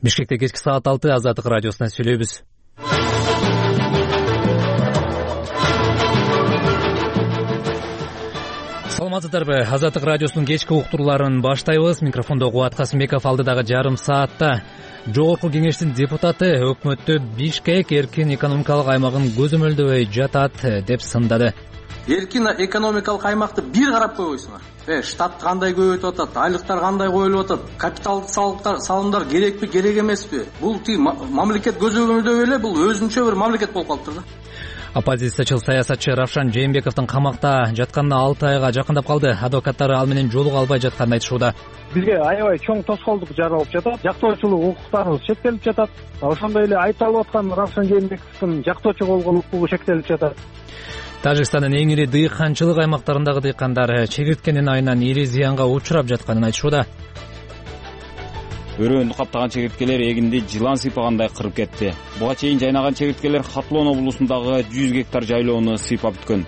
Бишкекте кечки саат 6 Азаттык радиосунан сүйлөйбүз. Саламатсыздарбы? Азаттык радиосунун кечки уктурууларын баштайбыз. Микрофондо Кубат Касымбеков. Алдыдагы жарым саатта Жогорку кеңештин депутаты өкмөттө Бишкек эркин экономикалык аймагын көзөмөлдөбөй жатат деп сындады. Эркин экономикалык аймакты бир карап койбойсуңар. Штат кандай көбөйтүп атат, айлыктар кандай коюлуп атат, капиталдык салымдар керекпи, керек эмеспи? Бул мамлекет көзөмөлдөбөй эле, бул өзүнчө бир мамлекет болуп калыптыр да. Оппозициячыл саясатчы Равшан Жээнбековдун камакта жатканына 6 айга жакындап калды. Адвокаттары ал менен жолуга албай жатканын айтышууда. Бизге аябай чоң тоскоолдук жаралып жатат, жактоочулук укуктарыбыз чектелип жатат. Ошондой эле айтылып аткан Равшан Жээнбековдун жактоочу болгон укугу чектелип жатат. Тажикстандын эң ири дыйканчылык аймактарындагы дыйкандар чегирткенин айынан ири зыянга учурап жатканын айтышууда. Өрөөндү каптаган чегирткелер эгинди жылан сыйпагандай кырып кетти. Буга чейин жайнаган чегирткелер Хатлон облусундагы 100 гектар жайлоону сыйпап бүткөн.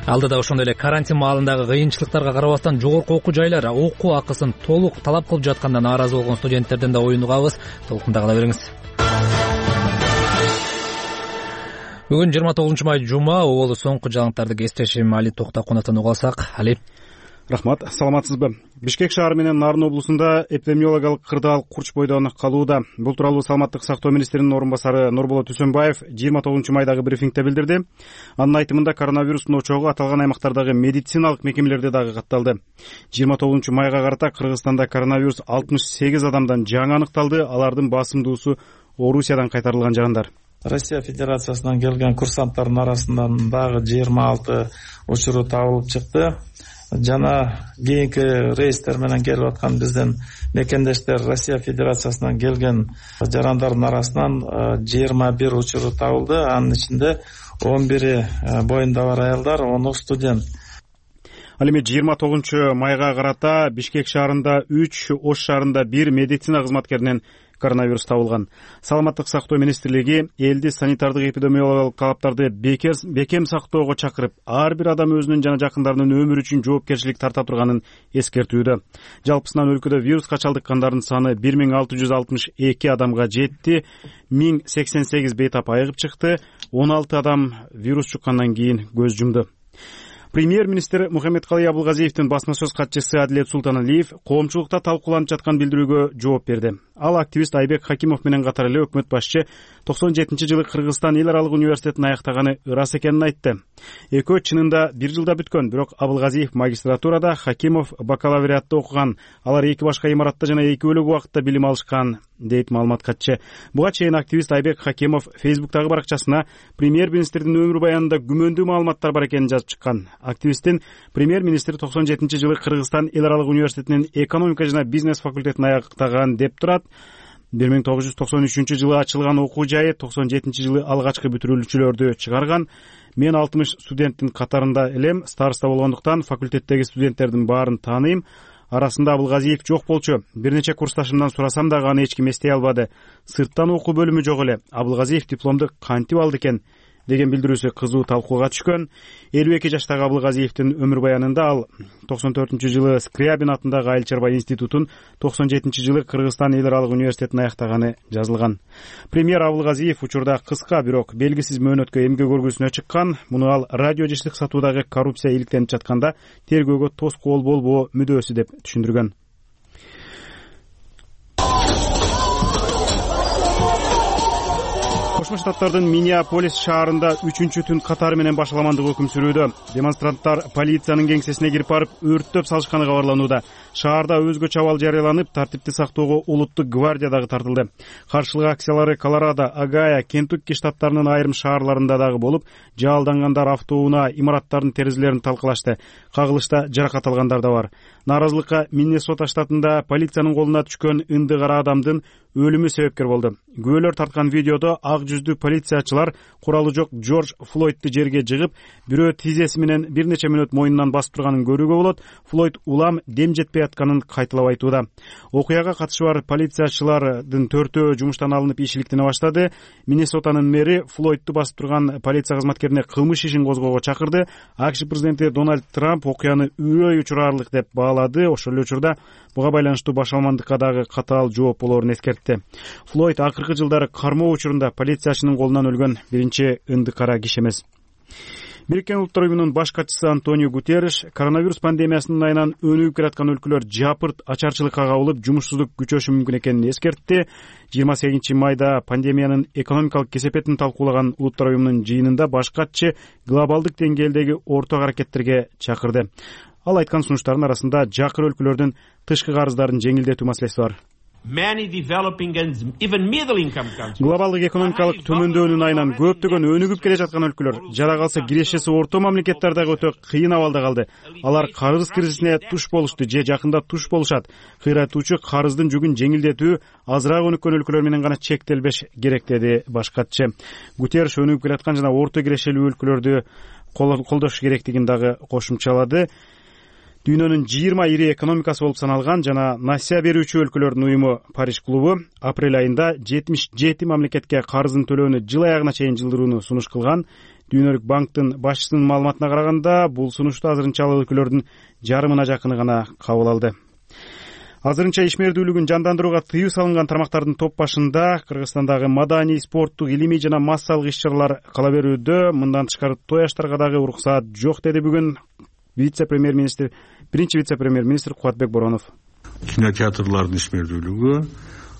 Алдыда ошондой эле карантин маалындагы кыйынчылыктарга карабастан жогорку окуу жайлар окуу акысын толук талап кылып жаткандан нааразы болгон студенттерден да оюн угабыз. Толкунда кала бериңиз. Бүгүн 29 май жума, оболу соңку жаңылыктарды кесиптешим Али Токтакуновдон уга алсак. Али. Рахмат, саламатсызбы? Бишкек шаары менен Нарын облусунда эпидемиологиялык кырдаал курч бойдон калууда. Бул тууралуу Саламаттык сактоо министринин орун басары Нурболот Үсөнбаев 29 майдагы брифингде билдирди. Анын айтымында коронавирустун очогу аталган аймактардагы медициналык мекемелерде дагы катталды. 29 майга карата Кыргызстанда коронавирус 68 адамдан жаңы аныкталды. Алардын басымдуусу Орусиядан кайтарылган жарандар. Россия Федерациясынан келген курсанттардын арасынан дагы 26 учуру табылып чыкты. Жана кийинки рейстер менен келип аткан биздин мекендештер Россия Федерациясынан келген жарандардын арасынан 21 учуру табылды. Анын ичинде 11 боюнда бар аялдар, 10 студент. Ал эми 29 майга карата Бишкек шаарында 3, Ош шаарында 1 медицина кызматкеринен коронавирус табылган. Саламаттык сактоо министрлиги элди санитардык эпидемиологиялык талаптарды бекем сактоого чакырып, ар бир адам өзүнүн жана жакындарынын өмүрү үчүн жоопкерчилик тарта турганын эскертүүдө. Жалпысынан өлкөдө вируска чалдыккандардын саны 1662 адамга жетти, 1088 бейтап айыгып чыкты, 16 адам вирус чуккандан кийин көз жумду. Премьер-министр Мухаммедкалый Абылгазиевдин басма сөз катчысы Адилет Султаналиев коомчулукта талкууланып жаткан билдирүүгө жооп берди. Ал активист Айбек Хакимов менен катар эле өкмөт башчы 97-жылы Кыргызстан эл аралык университетин аяктаганы ырас экенин айтты. Экөө чынында 1 жылда бүткөн, бирок Абылгазиев магистратурада, Хакимов бакалавриатта окуган. Алар эки башка имаратта жана эки бөлөк убакытта билим алышкан, дейт маалымат катчы. Буга чейин активист Айбек Хакимов Фейсбуктагы баракчасына премьер-министрдин өмүр баянында күмөндүү маалыматтар бар экенин жазып чыккан. Активисттин премьер-министр 97-жылы Кыргызстан эл аралык университетинин экономика жана бизнес факультетин аяктаган деп турат. 1993-жылы ачылган окуу жайы 97-жылы алгачкы бүтүрүүлчүлөрдү чыгарган. Мен 60 студенттин катарында элем, староста болгондуктан факультеттеги студенттердин баарын тааныйм. Арасында Абылгазиев жок болчу. Бир нече курсташымдан сурасам дагы аны эч ким эстей албады. Сырттан окуу бөлүмү жок эле. Абылгазиев дипломду кантип алды экен деген билдирүүсү кызуу талкууга түшкөн. 52 жаштагы Абылгазиевдин өмүр баянында ал 94-жылы Скрябин атындагы айыл чарба институтун, 97-жылы Кыргызстан эл аралык университетин аяктаганы жазылган. Премьер Абылгазиев учурда кыска, бирок белгисиз мөөнөткө эмгек өргүсүнө чыккан. Муну ал радио жиштик сатуудагы коррупция иликтенип жатканда тергөөгө тоскоол болбоо мүдөөсү деп түшүндүргөн. Кошмо Штаттардын Миннеаполис шаарында 3-чү түн катары менен башаламандык өкүм сүрүүдө. Демонстранттар полициянын кеңсесине кирип барып өрттөп салышканы кабарланууда. Шаарда өзгөчө абал жарыяланып, тартипти сактоого улуттук гвардия дагы тартылды. Каршылык акциялары Колорадо, Огайо, Кентукки штаттарынын айрым шаарларында дагы болуп, жаалдангандар автоунаа, имараттардын терезелерин талкалашты. Кагылышта жаракат алгандар да бар. Нааразылыкка Миннесота штатында полициянын колуна түшкөн ынды кара адамдын өлүмү себепкер болду. Күбөлөр тарткан видеодо ак жүздүү полициячылар куралы жок Джордж Флойдду жерге жыгып, бирөө тизеси менен бир нече мүнөт мойнунан басып турганын көрүүгө болот. Флойд улам дем жетпей атканын кайталап айтууда. Окуяга катышы бар полициячылардын 4-өө жумуштан алынып ишиликтене баштады. Миннесотанын мэри Флойдду басып турган полиция кызматкерине кылмыш ишин козгоого чакырды. АКШ президенти Дональд Трамп окуяны үрөй учурарлык деп баалады. Ошол эле учурда буга байланыштуу башалмандыкка дагы катаал жооп болоорун эскертти. Флойд акыркы жылдары кармоо учурунда полициячынын колунан өлгөн биринчи ынды-кара киши эмес. Бириккен Улуттар уюмунун баш катчысы Антонио Гутерриш коронавирус пандемиясынын айынан өнүгүп келаткан өлкөлөр жапырт ачарчылыкка кабылып, жумушсуздук күчөшү мүмкүн экенин эскертти. 28 майда пандемиянын экономикалык кесепетин талкуулаган Улуттар уюмунун жыйынында баш катчы глобалдык деңгээлдеги орток аракеттерге чакырды. Ал айткан сунуштардын арасында жакыр өлкөлөрдүн тышкы карыздарын жеңилдетүү маселеси бар. Глобалдык экономикалык төмөндөөнүн айынан көптөгөн өнүгүп келе жаткан өлкөлөр, жада калса кирешеси орто мамлекеттер дагы өтө кыйын абалда калды. Алар карыз кризисине туш болушту же жакында туш болушат. Кыйратуучу карыздын жүгүн жеңилдетүү азыраак өнүккөн өлкөлөр менен гана чектелбеш керек, деди баш катчы. Гутерриш өнүгүп келаткан жана орто кирешелүү өлкөлөрдү колдош керектигин дагы кошумчалады. Дүйнөнүн 20 ири экономикасы болуп саналган жана насия берүүчү өлкөлөрдүн уюму Париж клубу апрель айында 77 мамлекетке карызын төлөөнү жыл аягына чейин жылдырууну сунуш кылган. Дүйнөлүк банктын башчысынын маалыматына караганда, бул сунушту азырынча ал өлкөлөрдүн жарымына жакыны гана кабыл алды. Азырынча ишмердүүлүгүн жандандырууга тыюу салынган тармактардын топ башында Кыргызстандагы маданий, спорттук, илимий жана массалык иш-чаралар кала берүүдө. Мындан тышкары той аштарга дагы уруксаат жок, деди бүгүн биринчи вице-премьер-министр Кубатбек Боронов. Кинотеатрлардын ишмердүүлүгү,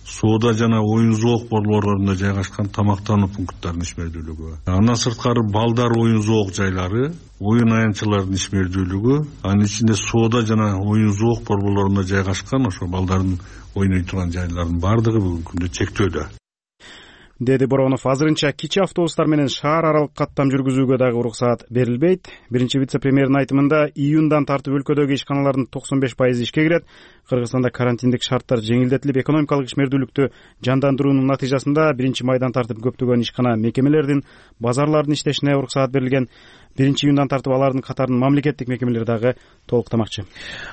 соода жана оюн зоок борборлорунда жайгашкан тамактануу пункттарынын ишмердүүлүгү, андан сырткары балдар оюн зоок жайлары, оюн аянтчылардын ишмердүүлүгү, анын ичинде соода жана оюн зоок борборлорунда жайгашкан ошо балдардын ойной турган жайлардын баардыгы бүгүнкү күндө чектөөдө, деди Боронов. Азырынча кичи автобустар менен шаар аралык каттам жүргүзүүгө дагы уруксаат берилбейт. Биринчи вице-премьердин айтымында июндан тартып өлкөдөгү ишканалардын 95% ишке кирет. Кыргызстанда карантиндик шарттар жеңилдетилип, экономикалык ишмердүүлүктү жандандыруунун натыйжасында 1 майдан тартып көптөгөн ишкана мекемелердин, базарлардын иштешине уруксаат берилген. 1 июндан тартып алардын катарын мамлекеттик мекемелер дагы толуктамакчы.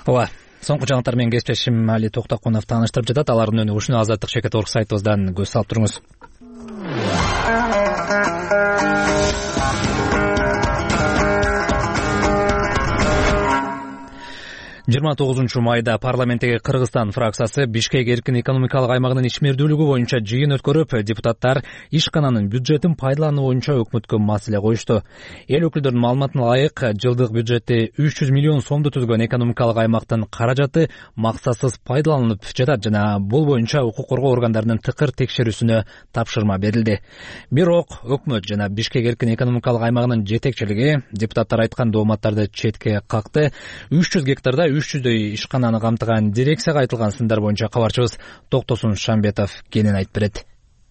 Ооба. Соңку жаңылыктар менен кесиптешим Али Токтокунов тааныштырып жатат. Алардын өнүгүшүнө Азаттык Чекет орг сайтыбыздан көз салып туруңуз. 29 майда парламенттеги Кыргызстан фракциясы Бишкек эркин экономикалык аймагынын ишмердүүлүгү боюнча жыйын өткөрүп, депутаттар ишкананын бюджетин пайдалануу боюнча өкмөткө маселе коюшту. Эл өкүлдөрүнүн маалыматына ылайык, жылдык бюджети 300 миллион сомду түзгөн экономикалык аймактын каражаты максатсыз пайдаланылып жатат жана бул боюнча укук коргоо органдарынын тыкыр текшерүүсүнө тапшырма берилди. Бирок өкмөт жана Бишкек эркин экономикалык аймагынын жетекчилиги депутаттар айткан дооматтарды четке какты. 300 гектарда 300дөй ишкананы камтыган дирекцияга айтылган сындар боюнча кабарчыбыз Токтосун Шамбетов кенен айтып берет.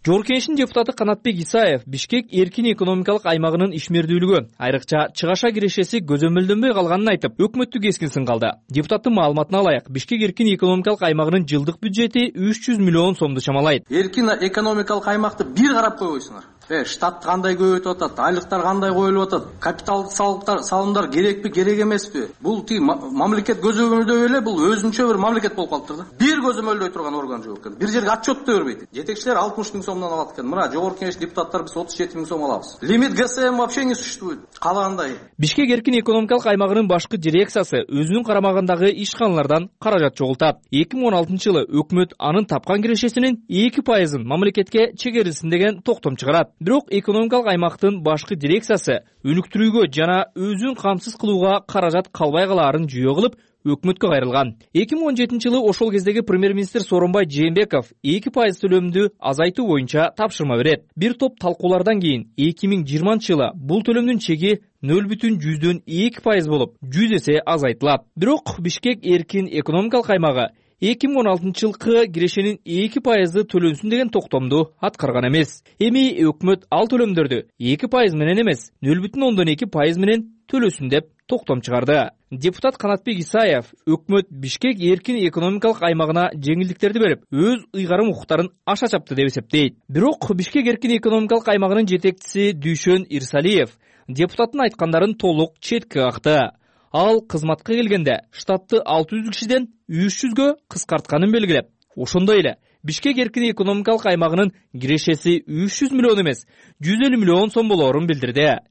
Жогорку Кеңештин депутаты Канатбек Исаев Бишкек эркин экономикалык аймагынын ишмердүүлүгү, айрыкча чыгаша кирешеси көзөмөлдөнбөй калганын айтып, өкмөттү кескин сынгалды. Депутаттын маалыматына ылайык, Бишкек эркин экономикалык аймагынын жылдык бюджети 300 миллион сомду чамалайт. Эркин экономикалык аймакты бир карап койбойсуңар. Штат кандай көбөйтүп атат, айлыктар кандай коюлуп атат, капиталдык салымдар керекпи, керек эмеспи? Бул мамлекет көзөмөлдөй эле, бул өзүнчө бир мамлекет болуп калыптыр да. Бир көзөмөлдөй турган орган жок экен. Бир жерге отчет да бербейт. Жетекчилер 60 миң сомдон алат экен. Мына жогорку кеңеш депутаттар биз 37 миң сом алабыз. Лимит ГСМ вообще не существует. Калагандай. Бишкек эркин экономикалык аймагынын башкы дирекциясы өзүнүн карамагындагы ишканалардан каражат чогултат. 2016 жылы өкмөт анын тапкан кирешесинин 2%-ын мамлекетке чегерилсин деген токтом чыгарат. Бирок экономикалык аймактын башкы дирекциясы өнүктүрүүгө жана өзүн камсыз кылууга каражат калбай калаарын жүйө кылып, өкмөткө кайрылган. 2017 жылы ошол кездеги премьер-министр Сооронбай Жээнбеков 2% төлөмдү азайтуу боюнча тапшырма берет. Бир топ талкуулардан кийин 2020 жылы бул төлөмдүн чеги 0,2% болуп, 100 эсе азайтылат. Бирок Бишкек эркин экономикалык аймагы 2016 жылкы кирешенин 2% төлөнсүн деген токтомду аткарган эмес. Эми өкмөт ал төлөмдөрдү 2% менен эмес, 0,2% менен төлөсүн деп токтом чыгарды. Депутат Канатбек Исаев өкмөт Бишкек эркин экономикалык аймагына жеңилдиктерди берип, өз ыйгарым укуктарын аша чапты деп эсептейт. Бирок Бишкек эркин экономикалык аймагынын жетекчиси Дүйшөн Ирсалиев депутаттын айткандарын толук четке какты. Ал кызматка келгенде штатты 600 кишиден 300гө кыскартканын белгилеп, ошондой эле Бишкек эркин экономикалык аймагынын кирешеси 300 миллион эмес, 150 миллион сом болоорун билдирди.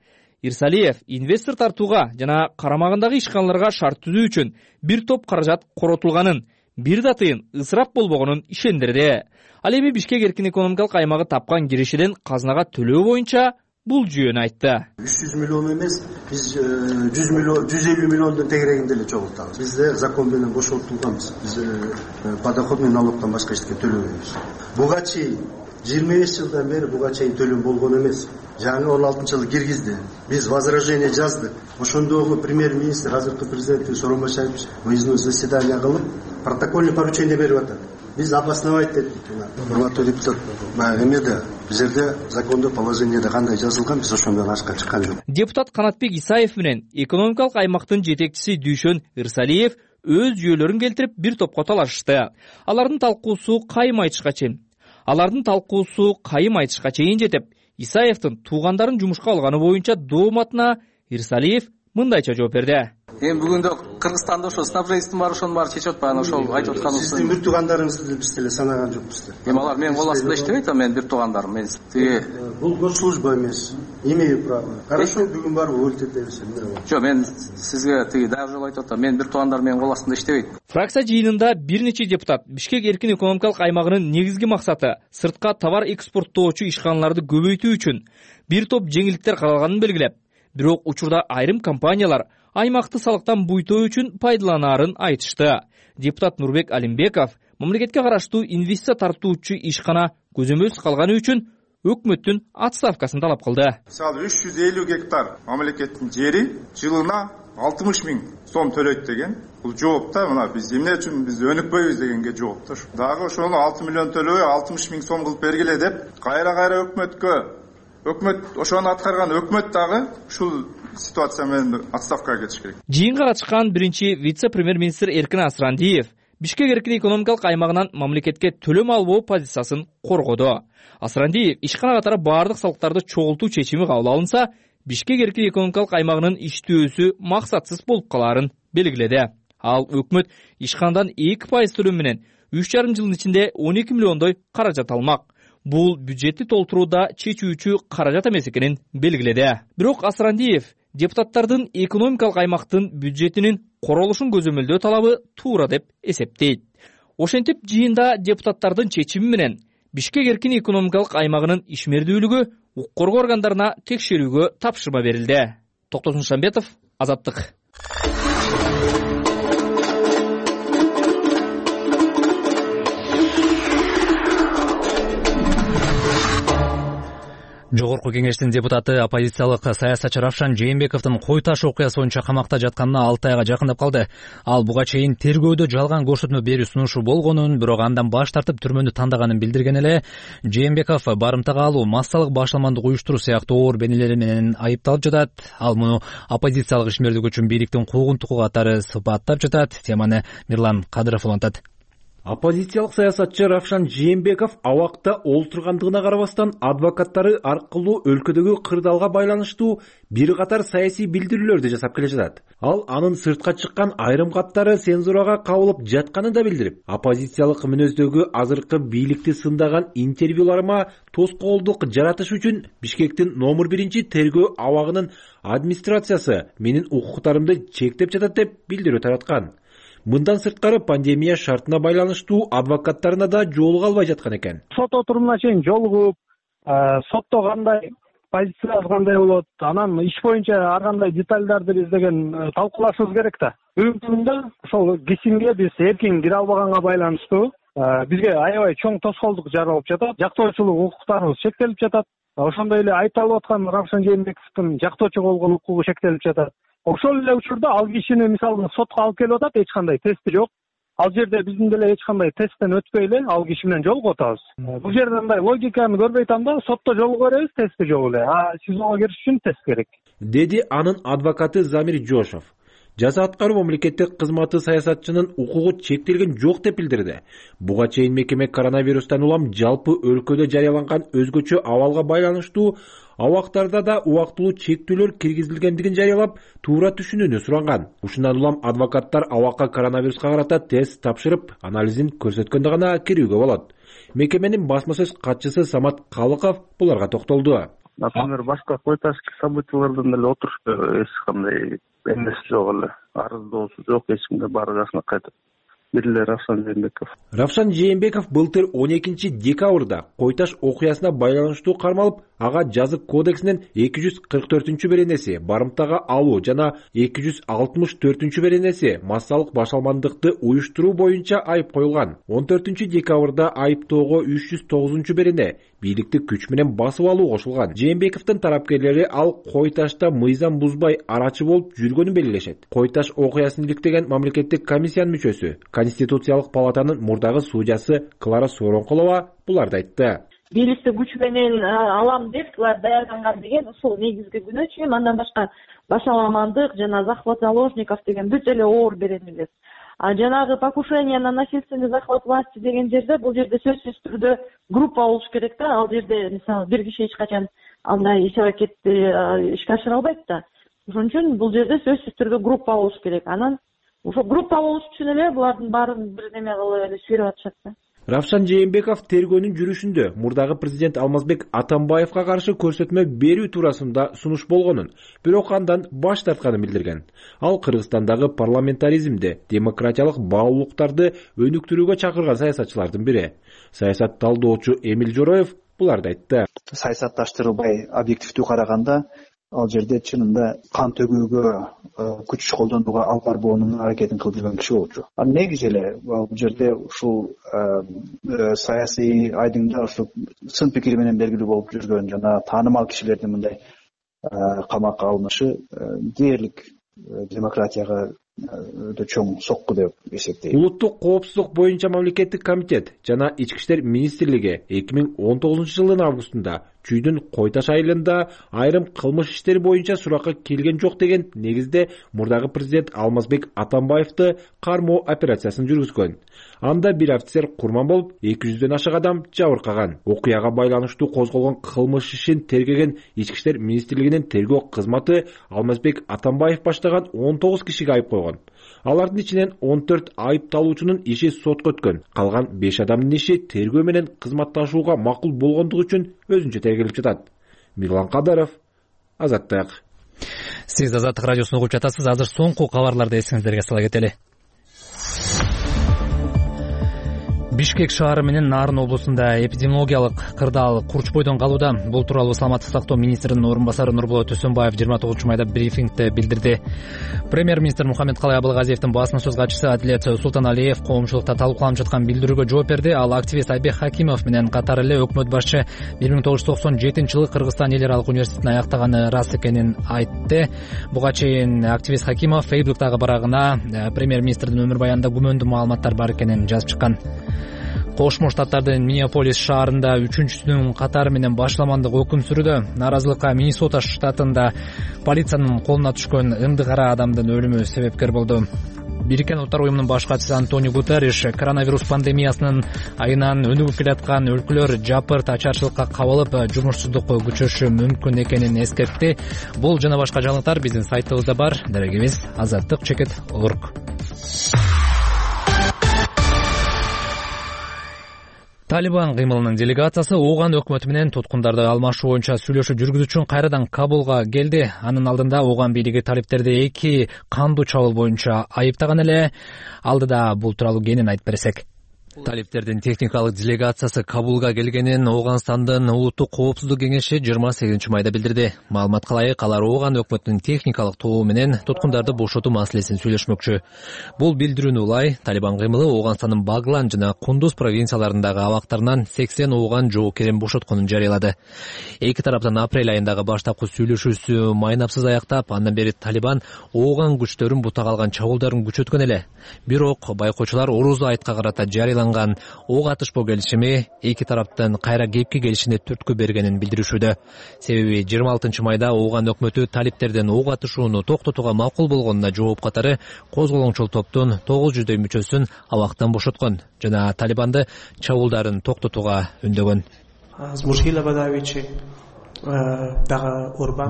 Ирсалиев инвестор тартууга жана карамагындагы ишканаларга шарт түзүү үчүн бир топ каражат коротулганын, бир да тыйын ысырап болбогонун ишендирди. Ал эми Бишкек эркин экономикалык аймагы тапкан киришиден казынага төлөө боюнча бул жүйөнү айтты. 300 миллион эмес, биз 150 миллиондун тегерегинде эле чогултабыз. Бизде закон менен бошотулганбыз. Биз подоходный налогдон башка эчтеке төлөбөйбүз. Буга чейин 25 жылдан бери буга чейин төлөм болгон эмес. Жаңы 16-жылы киргизди. Биз возражение жаздык. Ошондогу премьер-министр, азыркы президент Сооронбай выездной заседание кылып, протокольный поручение берип атат. Биз обосновать дедик. Урматтуу депутат, эмеде бизерде закондо положениеде кандай жазылган, биз ошондон ашка чыккан жок. Депутат Канатбек Исаев менен экономикалык аймактын жетекчиси Дүйшөн Ирсалиев өз жүйөлөрүн келтирип бир топко талашышты. Алардын талкуусу кайым айтышка чейин жетип, Исаевдин туугандарын жумушка алганы боюнча дооматына Ирсалиев мындайча жооп берди. Эми бүгүндө Кыргызстанда ошо снабженствонун бар, ошонун баары чечип атпайбы, ошол айтып атканыбыз. Сиздин бир туугандарыңызды биз деле санаган жокпуз. Эми алар менин кол астында иштебейт, менин бир туугандарым. Мен бул госслужба эмес. Имею право. Хорошо, бүгүн барып өлтүрүп берсем эмне болот? Жок, мен сизге дагы жолу айтып атам, менин бир туугандарым менин кол астында иштебейт. Фракция жыйынында бир нече депутат Бишкек эркин экономикалык аймагынын негизги максаты сыртка товар экспорттоочу ишканаларды көбөйтүү үчүн бир топ жеңилдиктер каралганын белгилеп, бирок учурда айрым компаниялар аймакты салыктан буйтоо үчүн пайдаланаарын айтышты. Депутат Нурбек Алимбеков мамлекетке караштуу инвестиция тартуучу ишкана көзөмөлсүз калганы үчүн өкмөттүн отставкасын талап кылды. Мисалы 350 гектар мамлекеттин жери жылына 60 000 сом төлөйт деген. Бул жооп да, мына биз эмне үчүн биз өнүкпөйбүз дегенге жооп да. Дагы ошону 6 миллион төлөбөй 60 000 сом кылып бергиле деп кайра өкмөт ошону аткарган өкмөт дагы ушул ситуация менен отставкага кетиш керек. Жыйынга катышкан биринчи вице-премьер-министр Эркин Асрандиев Бишкек эркин экономикалык аймагынан мамлекетке төлөм албоо позициясын коргоду. Асрандиев ишкана катары баардык салыктарды чогултуу чечими кабыл алынса, Бишкек эркин экономикалык аймагынын иштөөсү максатсыз болуп калаарын белгиледи. Ал өкмөт ишканадан 2% төлөм менен 3,5 жылдын ичинде 12 миллиондой каражат алмак. Бул бюджетти толтурууда чечүүчү каражат эмес экенин белгиледи. Бирок Асрандиев депутаттардын экономикалык аймактын бюджетинин королушун көзөмөлдөө талабы туура деп эсептейт. Ошентип жыйында депутаттардын чечими менен Бишкек эркин экономикалык аймагынын ишмердүүлүгү укук коргоо органдарына текшерүүгө тапшырма берилди. Токтосун Шамбетов, Азаттык. Жогорку кеңештин депутаты оппозициялык саясатчы Равшан Жээнбековдун кой таш окуясы боюнча камакта жатканына 6 айга жакындап калды. Ал буга чейин тергөөдө жалган көрсөтмө берүү сунушу болгонун, бирок андан баш тартып түрмөнү тандаганын билдирген эле. Жээнбеков барымтага алуу, массалык башаламандык уюштуруу сыяктуу оор бенелери менен айыпталып жатат. Ал муну оппозициялык ишмердик үчүн бийликтин куугунтугу катары сыпаттап жатат. Теманы Мирлан Кадыров улантат. Оппозициялык саясатчы Равшан Жээнбеков абакта олтургандыгына карабастан адвокаттары аркылуу өлкөдөгү кырдаалга байланыштуу бир катар саясий билдирүүлөрдү жасап келе жатат. Ал анын сыртка чыккан айрым каттары цензурага кабылып жатканын да билдирип, оппозициялык мүнөздөгү азыркы бийликти сындаган интервьюларыма тоскоолдук жаратыш үчүн Бишкектин номер 1 тергөө абагынын администрациясы менин укуктарымды чектеп жатат деп билдирүү тараткан. Мындан сырткары пандемия шартына байланыштуу адвокаттарына да жолуга албай жаткан экен. Сот отурумуна чейин жолугуп, сотто кандай позициясы кандай болот, анан иш боюнча ар кандай детальдарды биз деген талкуулашыбыз керек да. Бүгүнкү күндө ошол кесимге биз эркин кире албаганга байланыштуу бизге аябай чоң тоскоолдук жаралып жатат. Жактоочулук укуктарыбыз чектелип жатат. Ошондой эле айтылып аткан Равшан Жээнбековдун жактоочу болгон укугу чектелип жатат. Ошол эле учурда ал кишини мисалы сотко алып келип атат, эч кандай тести жок. Ал жерде биздин деле эч кандай тесттен өтпөй эле ал киши менен жолугуп атабыз. Бул жерде мындай логиканы көрбөй атам да, сотто жолугуп беребиз, тести жок эле. СИЗОго кириш үчүн тест керек. Деди анын адвокаты Замир Жошов. Жаза аткаруу мамлекеттик кызматы саясатчынын укугу чектелген жок деп билдирди. Буга чейин мекеме коронавирустан улам жалпы өлкөдө жарыяланган өзгөчө абалга байланыштуу абактарда да убактылуу чектөөлөр киргизилгендигин жарыялап, туура түшүнүүнү суранган. Ушундан улам адвокаттар абакка коронавируска карата тест тапшырып, анализин көрсөткөндө гана кирүүгө болот. Мекеменин басма сөз катчысы Самат Калыков буларга токтолду. Например, башка койташки событиялардан деле отурушта эч кандай эмес жок эле. Арыздоосу жок, эч кимге баргасына кайтып. Бир эле Равшан Жээнбеков. Равшан Жээнбеков былтыр 12 декабрда Койташ окуясына байланыштуу кармалып, ага жазык кодексинен 244-беренеси барымтага алуу жана 264-беренеси массалык башалмандыкты уюштуруу боюнча айып коюлган. 14 декабрда айыптоого 309-берене бийликти күч менен басып алуу кошулган. Жээнбековдун тарапкерлери ал Койташта мыйзам бузбай арачы болуп жүргөнүн белгилешет. Койташ окуясын иликтеген мамлекеттик комиссиянын мүчөсү, Конституциялык палатанын мурдагы судьясы Клара Сооронкулова буларды айтты. Бийликти күч менен алам деп даярданган деген ушул негизги күнөөчү. Андан башка башаламандык жана захват заложников деген бүт эле оор беренелер. Жанагы покушение на насильственный захват власти деген жерде бул жерде сөзсүз түрдө группа болуш керек да. Ал жерде мисалы бир киши эч качан андай иш-аракетти ишке ашыра албайт да. Ошон үчүн бул жерде сөзсүз түрдө группа болуш керек. Анан ошол группа болуш үчүн эле булардын баарын бир неме кылып эле сүйрөп атышат да. Равшан Жээнбеков тергөөнүн жүрүшүндө мурдагы президент Алмазбек Атамбаевга каршы көрсөтмө берүү туурасында сунуш болгонун, бирок андан баш тартканын билдирген. Ал Кыргызстандагы парламентаризмде демократиялык баалуулуктарды өнүктүрүүгө чакырган саясатчылардын бири. Саясат талдоочу Эмил Жороев буларды айтты. Саясатташтырылбай объективдүү караганда ал жерде чынында кан төгүүгө, күч колдонууга алып барбоонун аракетин кылып жүргөн киши болчу. Негизи эле бул жерде ушул саясий айдыңда ушул сын пикири менен белгилүү болуп жүргөн жана таанымал кишилердин мындай камакка алынышы дээрлик демократияга өтө чоң сокку деп эсептейм. Улуттук коопсуздук боюнча мамлекеттик комитет жана Ички иштер министрлиги 2019-жылдын августунда Чүйдүн Койташ айылында айрым кылмыш иштери боюнча суракка келген жок деген негизде мурдагы президент Алмазбек Атамбаевди кармоо операциясын жүргүзгөн. Анда бир офицер курман болуп, 200дөн ашык адам жабыркаган. Окуяга байланыштуу козголгон кылмыш ишин тергеген Ички иштер министрлигинин тергөө кызматы Алмазбек Атамбаев баштаган 19 кишиге айып койгон. Алардын ичинен 14 айыпталуучунун иши сотко өткөн. Калган 5 адамдын иши тергөө менен кызматташууга макул болгондугу үчүн өзүнчө тергелип жатат. Мирлан Кадаров, Азаттык. Сиз Азаттык радиосун угуп жатасыз. Азыр соңку кабарларды эсиңиздерге сала кетели. Бишкек шаары менен Нарын облусунда эпидемиологиялык кырдаал курч бойдон калууда. Бул тууралуу Саламаттык сактоо министринин орун басары Нурболот Төсөнбаев 29-майда брифингде билдирди. Премьер-министр Мухаммедкалай Абылгазиевдин басма сөз катчысы Адилет Султаналиев коомчулукта талкууланып жаткан билдирүүгө жооп берди. Ал активист Айбек Хакимов менен катар эле өкмөт башчы 1997-жылы Кыргызстан эл аралык университетин аяктаганы ырас экенин айтты. Буга чейин активист Хакимов Фейсбуктагы барагына премьер-министрдин өмүр баянында күмөндүү маалыматтар бар экенин жазып чыккан. Кошмо Штаттардын Миннеаполис шаарында 3-сүнүн катары менен башламандык өкүм сүрүүдө. Наразылыкка Миннесота штатында полициянын колуна түшкөн ынды кара адамдын өлүмү себепкер болду. Бириккен Улуттар уюмунун баш катчысы Антонио Гутерриш коронавирус пандемиясынын айынан өнүгүп келаткан өлкөлөр жапырт ачарчылыкка кабылып, жумушсуздукка күчөшү мүмкүн экенин эскертти. Бул жана башка жаңылыктар биздин сайтыбызда бар. Дарегибиз azattik.org. Талибан кыймылынын делегациясы Ооган өкмөтү менен туткундарды алмашуу боюнча сүйлөшүү жүргүзүү үчүн кайрадан Кабулга келди. Анын алдында Ооган бийлиги талиптерди 2 кандуу чабуул боюнча айыптаган эле. Алдыда бул тууралуу кенен айтып берсек. Талиптердин техникалык делегациясы Кабулга келгенин Ооганстандын улуттук коопсуздук кеңеши 28-майда билдирди. Маалыматка ылайык, алар Ооган өкмөтүнүн техникалык тобу менен туткундарды бошотуу маселесин сүйлөшмөкчү. Бул билдирүүнү улай Талибан кыймылы Ооганстандын Баглан жана Кундуз провинцияларындагы абактарынан 80 Ооган жоокерин бошотконун жарыялады. Эки тараптын апрель айындагы баштапкы сүйлөшүүсү майнапсыз аяктап, андан бери Талибан Ооган күчтөрүн бутага алган чабуулдарын күчөткөн эле. Бирок байкоочулар Орузу айтка карата жарыяланган ок атышпоо келишими эки тараптын кайра кепке келишине түрткү бергенин билдиришүүдө. Себеби 26-майда Ооган өкмөтү талиптердин ок атышууну токтотууга макул болгонуна жооп катары козголоңчул топтун 900дөй мүчөсүн абактан бошоткон жана Талибанды чабуулдарын токтотууга үндөгөн.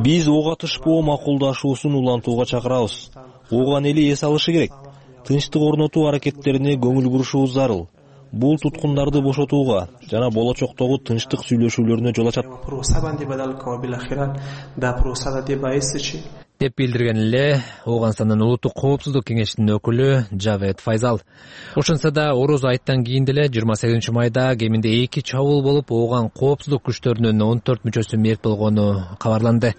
Биз ок атышпоо макулдашуусун улантууга чакырабыз. Ооган эли эс алышы керек. Тынчтык орнотуу аракеттерине көңүл бурушубуз зарыл. бул туткундарды бошотууга жана болочоктогу тынчтык сүйлөшүүлөрүнө жол ачат деп билдирген эле Ооганстандын улуттук коопсуздук кеңешинин өкүлү Жавед Файзал. Ошентсе да Ороз айттан кийин деле 28 майда кеминде 2 чабуул болуп, Ооган коопсуздук күчтөрүнүн 14 мүчөсү мерт болгону кабарланды.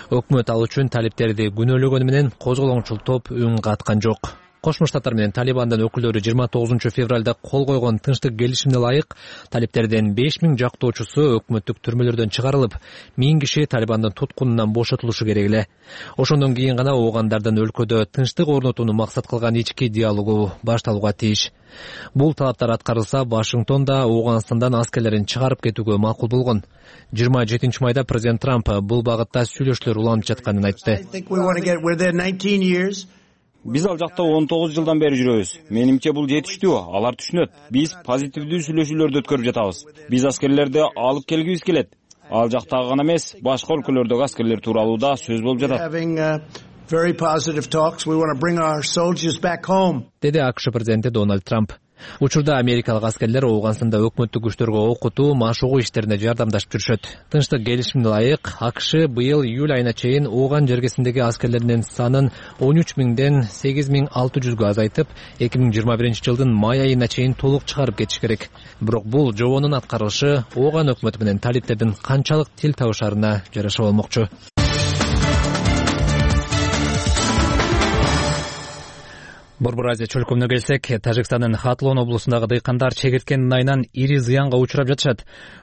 Өкмөт ал үчүн талиптерди күнөөлөгөнү менен козголоңчул топ үн каткан жок. Кошмо Штаттар менен Талибандын өкүлдөрү 29 февралда кол койгон тынчтык келишимине ылайык талиптердин 5000 жактоочусу өкмөттүк түрмөлөрдөн чыгарылып, 1000 киши Талибандын туткунунан бошотулушу керек эле. Ошондон кийин гана оогандардын өлкөдө тынчтык орнотууну максат кылган ички диалогу башталууга тийиш. Бул талаптар аткарылса, Вашингтон да Ооганстандан аскерлерин чыгарып кетүүгө макул болгон. 27 майда президент Трамп бул багытта сүйлөшүүлөр уланып жатканын айтты. Биз ал жакта 19 жылдан бери жүрөбүз. Менимче бул жетиштүү, алар түшүнөт. Биз позитивдүү сүйлөшүүлөрдү өткөрүп жатабыз. Биз аскерлерди алып келгибиз келет. Ал жактагы гана эмес, башка өлкөлөрдөгү аскерлер тууралуу да сөз болуп жатат. Деди АКШ президенти Дональд Трамп. Учурда америкалык аскерлер Ооганстанда өкмөттүк күчтөргө окутуу, машыгуу иштерине жардамдашып жүрүшөт. Тынчтык келишимине ылайык, АКШ быйыл июль айына чейин Ооган жергесиндеги аскерлеринин санын 13.000ден 8.600гө азайтып, 2021 жылдын май айына чейин толук чыгарып кетиш керек. Бирок бул жобонун аткарылышы Ооган өкмөтү менен талиптердин канчалык тил табышарына жараша болмокчу. Борбор Азия чөлкөмүнө келсек, Тажикстандын Хатлон облусундагы дыйкандар чегирткенин айынан ири зыянга учурап жатышат.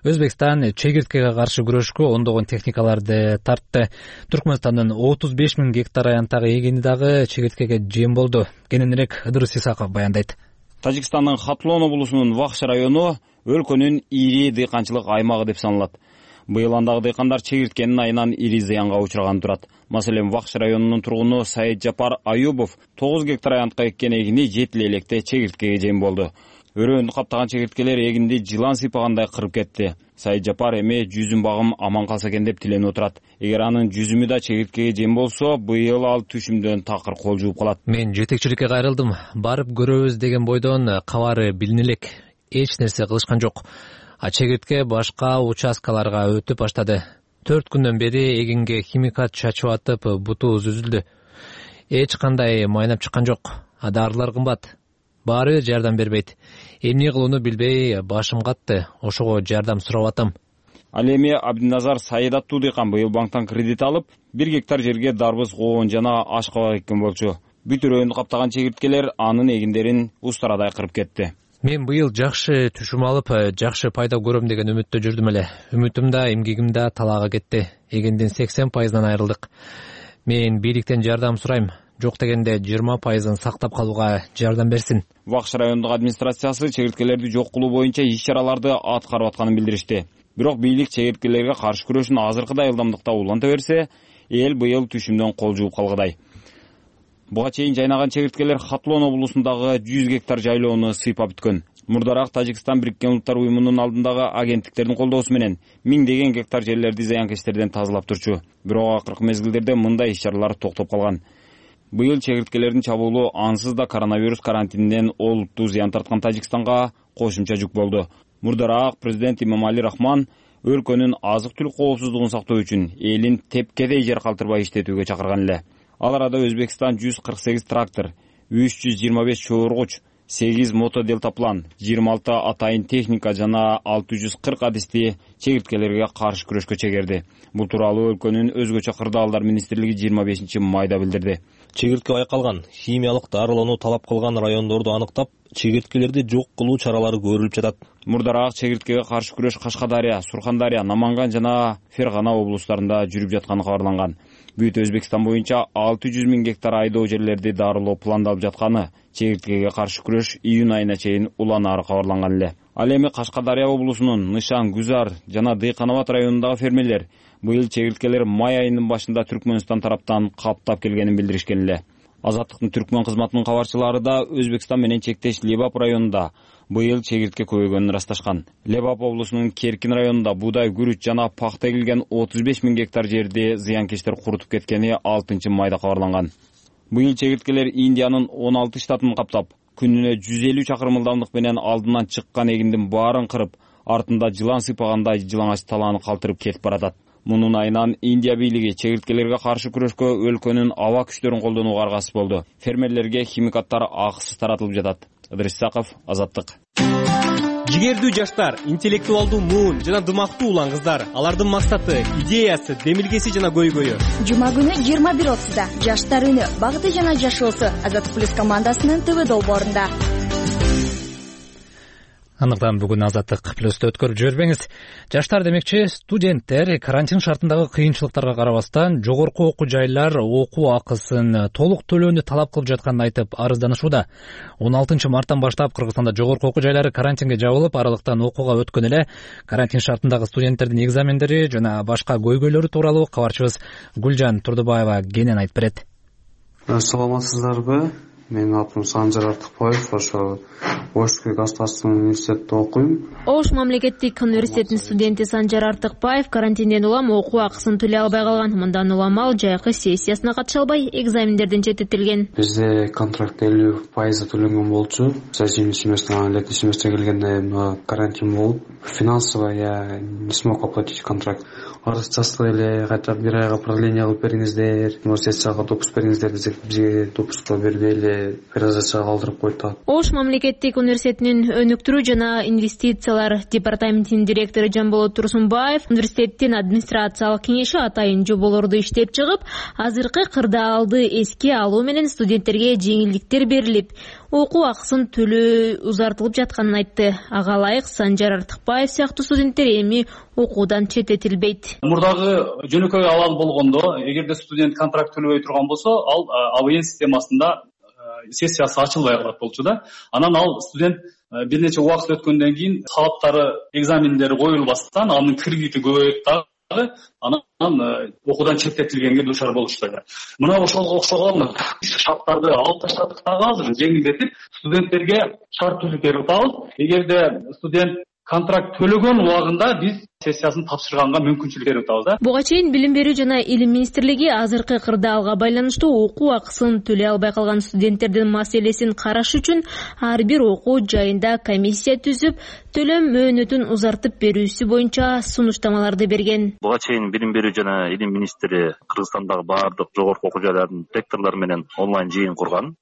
Өзбекстан чегирткеге каршы күрөшкө ондогон техникаларды тартты. Түркмөнстандын 35.000 гектар аянттагы эгини дагы чегирткеге жем болду. Кененирээк Ыдырыс Исаков баяндайт. Тажикстандын Хатлон облусунун Вахш району өлкөнүн ири дыйканчылык аймагы деп саналат. Быйыл андагы дыйкандар чегирткенин айынан ири зыянга учураган турат. Маселен, Вахш районунун тургуну Саид Жапар Аюбов 9 гектар аянтка эккен эгини жетил электе чегирткеге жем болду. Өрөөнү каптаган чегирткелер эгинди жылан сыйпагандай кырып кетти. Саид Жапар эми жүзүм багым аман калса экен деп тиленип отурат. Эгер анын жүзүмү да чегирткеге жем болсо, быйыл ал түшүмдөн такыр кол жууп калат. Мен жетекчиликке кайрылдым. Барып көрөбүз деген бойдон кабары билине элек. Эч нерсе кылышкан жок. Чегиртке башка участкаларга өтүп баштады. 4 күндөн бери эгинге химикат чачып атып, бутубуз үзүлдү. Эч кандай майнап чыккан жок. Дарылар кымбат. Баары жардам бербейт. Эмне кылууну билбей башым катты. Ошого жардам сурап атам. Ал эми Абдиназар Саид аттуу дыйкан быйыл банктан кредит алып, 1 гектар жерге дарбыз, коон жана аш кабак эккен болчу. Бүт өрөөнү каптаган чегирткелер анын эгиндерин устарадай кырып кетти. Мен быйыл жакшы түшүм алып, жакшы пайда көрөм деген үмүттө жүрдүм эле. Үмүтүм да, эмгегим да талаага кетти. Эгиндин 80%-дан айрылдык. Мен бийликтен жардам сурайм. Жок дегенде 20%-ын сактап калууга жардам берсин. Вахш райондук администрациясы чегирткелерди жок кылуу боюнча иш-чараларды аткарып атканын билдиришти. Бирок бийлик чегирткелерге каршы күрөшүн азыркыдай ылдамдыкта уланта берсе, эл быйыл түшүмдөн кол жууп калгыдай. Буга чейин жайнаган чегирткелер Хатлон облусундагы 100 гектар жайлоону сыйпап бүткөн. Мурдараак Тажикстан Бириккен Улуттар уюмунун алдындагы агенттиктердин колдоосу менен миңдеген гектар жерлерди зыянкечтерден тазалап турчу. Бирок акыркы мезгилдерде мындай иш-чаралар токтоп калган. Быйыл чегирткелердин чабуулу ансыз да коронавирус карантининен олуттуу зыян тарткан Тажикстанга кошумча жүк болду. Мурдараак президент Имамали Рахман өлкөнүн азык-түлүк коопсуздугун сактоо үчүн элин тепкедей жер калтырбай иштетүүгө чакырган эле. Ал арада Өзбекстан 148 трактор, 325 чооргуч, 8 мотоделтаплан, 26 атайын техника жана 640 адисти чегирткелерге каршы күрөшкө чегерди. Бул тууралуу өлкөнүн өзгөчө кырдаалдар министрлиги 25 майда билдирди. Чегиртке байкалган, химиялык дарылоону талап кылган райондорду аныктап, чегирткелерди жок кылуу чаралары көрүлүп жатат. Мурдараак чегирткеге каршы күрөш Кашкадария, Сурхандария, Наманган жана Фергана облустарында жүрүп жатканы кабарланган. Бүт Өзбекстан боюнча 600 000 гектар айдоо жерлерди дарылоо пландалып жатканы чегирткеге каршы күрөш июнь айына чейин уланары кабарланган эле. Ал эми Кашкадария облусунун Нышан, Гүзар жана Дыйканабад районундагы фермерлер быйыл чегирткелер май айынын башында Түркмөнстан тараптан каптап келгенин билдиришкен эле. Азаттыктын Түркмөн кызматынын кабарчылары да Өзбекстан менен чектеш Лебап районунда быйыл чегиртке көбөйгөнүн ырасташкан. Лебап облусунун Керкин районунда буудай, күрүч жана пахта эгилген 35 000 гектар жерди зыянкечтер курутуп кеткени 6 майда кабарланган. Быйыл чегирткелер Индиянын 16 штатын каптап, күнүнө 150 чакырым ылдамдык менен алдынан чыккан эгиндин баарын кырып, артында жылан сыйпагандай жалаңач талааны калтырып кетип баратат. Мунун айынан Индия бийлиги чегирткелерге каршы күрөшкө өлкөнүн аба күчтөрүн колдонууга аргасыз болду. Фермерлерге химикаттар акысыз таратылып жатат. Ыдырыс Исаков, Азаттык. Жигердүү жаштар, интеллектуалдуу муун жана дымактуу улан кыздар. Алардын максаты, идеясы, демилгеси жана көйгөйү. Жума күнү 21:30-да Жаштар үнү, багыты жана жашоосу Азаттык плюс командасынын ТВ долбоорунда. Андыктан бүгүн Азаттык плюсту өткөрүп жибербеңиз. Жаштар демекчи, студенттер карантин шартындагы кыйынчылыктарга карабастан жогорку окуу жайлар окуу акысын толук төлөөнү талап кылып жатканын айтып арызданышууда. 16 марттан баштап Кыргызстанда жогорку окуу жайлары карантинге жабылып, аралыктан окууга өткөн эле. Карантин шартындагы студенттердин экзамендери жана башка көйгөйлөрү тууралуу кабарчыбыз Гүлжан Турдубаева кенен айтып берет. Саламатсыздарбы? Менин атым Санжар Артыкбаев, ошо Ош государственный университетте окуйм. Ош мамлекеттик университетинин студенти Санжар Артыкбаев карантинден улам окуу акысын төлөй албай калган. Мындан улам ал жайкы сессиясына катыша албай, экзамендерден четтетилген. Бизде контракт 50% төлөнгөн болчу. Зимний семестр, летний семестр келгенде карантин болуп, финансово не смог оплатить контракт. Арыз жаздык эле, кайта бир айга продление кылып бериңиздер, университетке допуск бериңиздер десек, бизге допуск бербей эле перезачага калтырып койду. Ош мамлекеттик университетинин өнүктүрүү жана инвестициялар департаментинин директору Жамболот Турсунбаев университеттин администрациялык кеңеши атайын жоболорду иштеп чыгып, азыркы кырдаалды эске алуу менен студенттерге жеңилдиктер берилип, окуу акысын төлөө узартылып жатканын айтты. Ага ылайык Санжар Артыкбаев сыяктуу студенттер эми окуудан четтетилбейт. Мурдагы жөнөкөй абал болгондо, эгерде студент контракт төлөбөй турган болсо, ал АВН системасында сессиясы ачылбай калат болчу да. Анан ал студент бир нече убакыт өткөндөн кийин талаптары, экзамендери коюлбастан, анын кредити көбөйүп дагы анан окуудан четтетилгенге дуушар болушту. Мына ошого окшогон шарттарды алып таштадык дагы азыр жеңилдетип, студенттерге шарт түзүп атабыз. Эгерде студент контракт төлөгөн убагында биз сессиясын тапшырганга мүмкүнчүлүк берип атабыз да. Буга чейин Билим берүү жана Илим министрлиги азыркы кырдаалга байланыштуу окуу акысын төлөй албай калган студенттердин маселесин караш үчүн ар бир окуу жайында комиссия түзүп, төлөм мөөнөтүн узартып берүүсү боюнча сунуштамаларды берген. Буга чейин Билим берүү жана Илим министри Кыргызстандагы баардык жогорку окуу жайлардын ректорлору менен онлайн жыйын курган.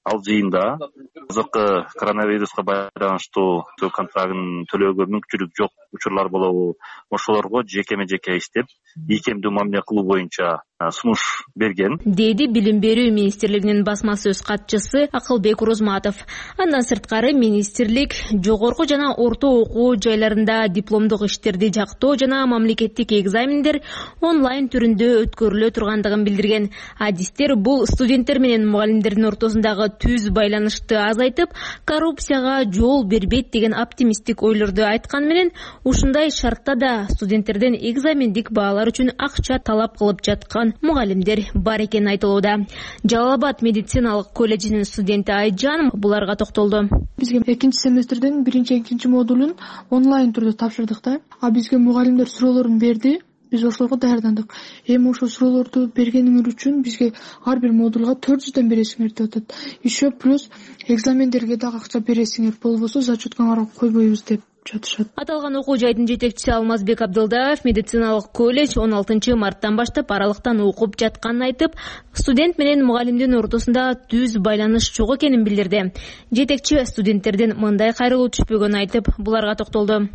Ал жыйында азыркы коронавируска байланыштуу контрактын төлөөгө мүмкүнчүлүк жок учурлар болобу, ошолорго жекеме-жеке иштеп, ийкемдүү мамиле кылуу боюнча сунуш берген, деди Билим берүү министрлигинин басма сөз катчысы Акылбек Урузматов. Андан сырткары министрлик жогорку жана орто окуу жайларында дипломдук иштерди жактоо жана мамлекеттик экзамендер онлайн түрүндө өткөрүлө тургандыгын билдирген. Адистер бул студенттер менен мугалимдердин ортосундагы түз байланышты азайтып, коррупцияга жол бербейт деген оптимисттик ойлорду айткан менен, ушундай шартта да студенттерден экзамендик баалар үчүн акча талап кылып жаткан мугалимдер бар экени айтылууда. Жалал-Абад медициналык колледжинин студенти Айжан буларга токтолду. Бизге экинчи семестрдин биринчи, экинчи модулун онлайн түрдө тапшырдык да. Бизге мугалимдер суроолорун берди. Биз ошолорго даярдандык. Эми ошол суроолорду бергениңер үчүн бизге ар бир модулга 400 бересиңер деп атат. Еще плюс экзамендерге дагы акча бересиңер, болбосо зачеткаңарга койбойбуз деп жатышат. Аталган окуу жайдын жетекчиси Алмазбек Абдылдаев медициналык колледж 16 марттан баштап аралыктан окуп жатканын айтып, студент менен мугалимдин ортосунда түз байланыш жок экенин билдирди. Жетекчи студенттерден мындай кайрылуу түшпөгөнүн айтып, буларга токтолду.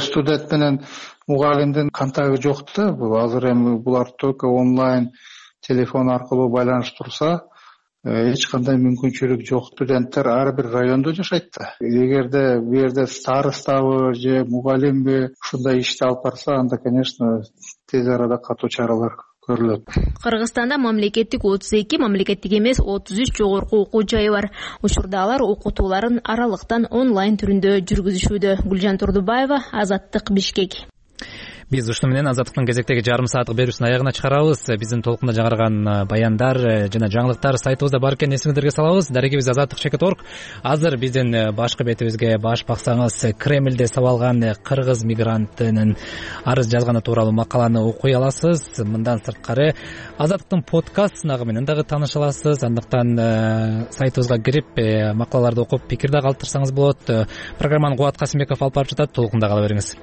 Студент менен мугалимдин контакты жок да. Азыр эми булар только онлайн телефон аркылуу байланыштырса, эч кандай мүмкүнчүлүк жок. Студенттер ар бир райондо жашайт да. Эгерде бу жерде старостабы же мугалимби ушундай ишти алып барса, анда, конечно, тез арада катуу чаралар көрүлөт. Кыргызстанда мамлекеттик 32, мамлекеттик эмес 33 жогорку окуу жайы бар. Учурда алар окутууларын аралыктан онлайн түрүндө жүргүзүшүүдө. Гүлжан Турдубаева, Азаттык, Бишкек. Биз ушуну менен Азаттыктын кезектеги жарым сааттык берүүсүнүн аягына чыгарабыз. Биздин толкунда жаңырган баяндар жана жаңылыктар сайтыбызда бар экенин эсиңиздерге салабыз. Дарегибиз azatlyk.org. Азыр биздин башкы бетибизге баш баксаңыз, Кремлде сабалган кыргыз мигрантынын арыз жазганы тууралуу макаланы окуй аласыз. Мындан сырткары Азаттыктын подкаст сынагы менен дагы тааныша аласыз. Андыктан сайтыбызга кирип макалаларды окуп пикир да калтырсаңыз болот. Программаны Кубат Касымбеков алып барып жатат. Толкунда кала бериңиз.